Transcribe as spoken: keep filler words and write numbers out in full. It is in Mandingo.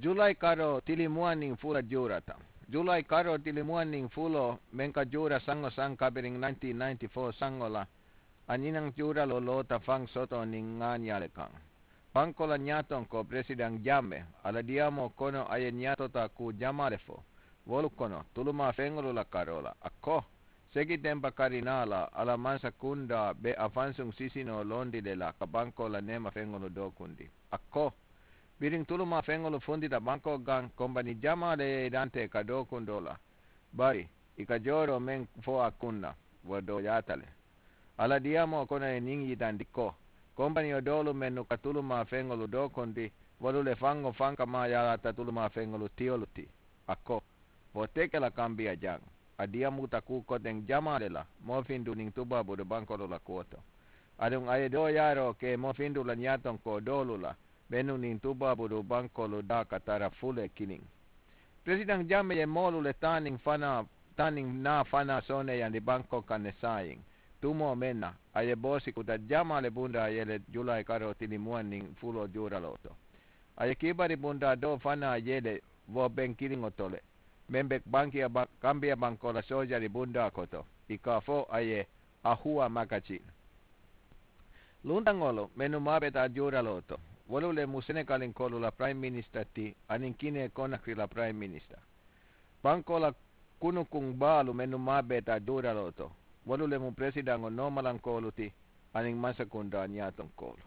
Julai karoo tilimuwaniŋ fula juurata. Julai karoo tilimuwaniŋ fuloo meŋ ka juura saŋo saŋ kabiriŋ nineteen ninety-four saŋo la, a ñinaŋ juuraloo loota faŋ soto niŋ ŋaaniyaa le kaŋ. Bankoo la ñaatonkoo presidaŋ jamme a la diyaamoo kono a ye ñaatotaa kuu jamaa le fo wolu kono tulumaa feŋolu la karoo la a ko, sekitempa kari naa la a la mansa kundaa be a fansuŋ sisinoo londi le la ka bankoo la neema feŋolu dookundi. A ko, biriŋ tulumaa feŋolu funtita bankoo gaŋ kombani jamaa le ye i dantee ka dookundoo la, bari i ka jooroo meŋ fo a kunna, wo dooyaata le. A la diyaamoo kono ye ñiŋ yitandi ko, kombaniyo doolu mennu ka tulumaa feŋolu dookundi, wolu le faŋo faŋ ka maayaalaata tulumaa feŋolu tiyolu ti. A ko, wo te ke la kambiya jaŋ. A diyamuta kuu koteŋ jamaa le la moofindu niŋ tubaaburu bankoolu la kuwo to. Aduŋ a ye dooyaaroo ke moofindu la ñaatonkoo doolu la mennu niŋ tubaaburu bankoolu daa ka tara fule kiliŋ. Presidaŋ jamme ye moolu le taa niŋ fanaa taa niŋ naa fanaa sooneeyandi bankoo kaŋ ne saayiŋ, tumoo meŋ na a ye boosi kuta jamaa le bundaa ye le julaayi karoo tilimuwaŋ niŋ fuloo juuraloo to. A ye kiibari bundaa doo fanaa ye le wo beŋ kiliŋo to le, meŋ be kambiya bankoo la soojari bundaa koto, i ka a fo a ye ahuwa makajin. Luntaŋolu mennu maabeeta juuraloo to, wolu le mu senegalinkoolu la purayimu minisita ti aniŋ kinee konakiri la purayimu minisita. Bankoo la kunukuŋ baalu mennu maabeeta juuraloo to, wolu le mu peresidaŋo noomalankoolu ti aniŋ mansakundaa ñaatonkoolu.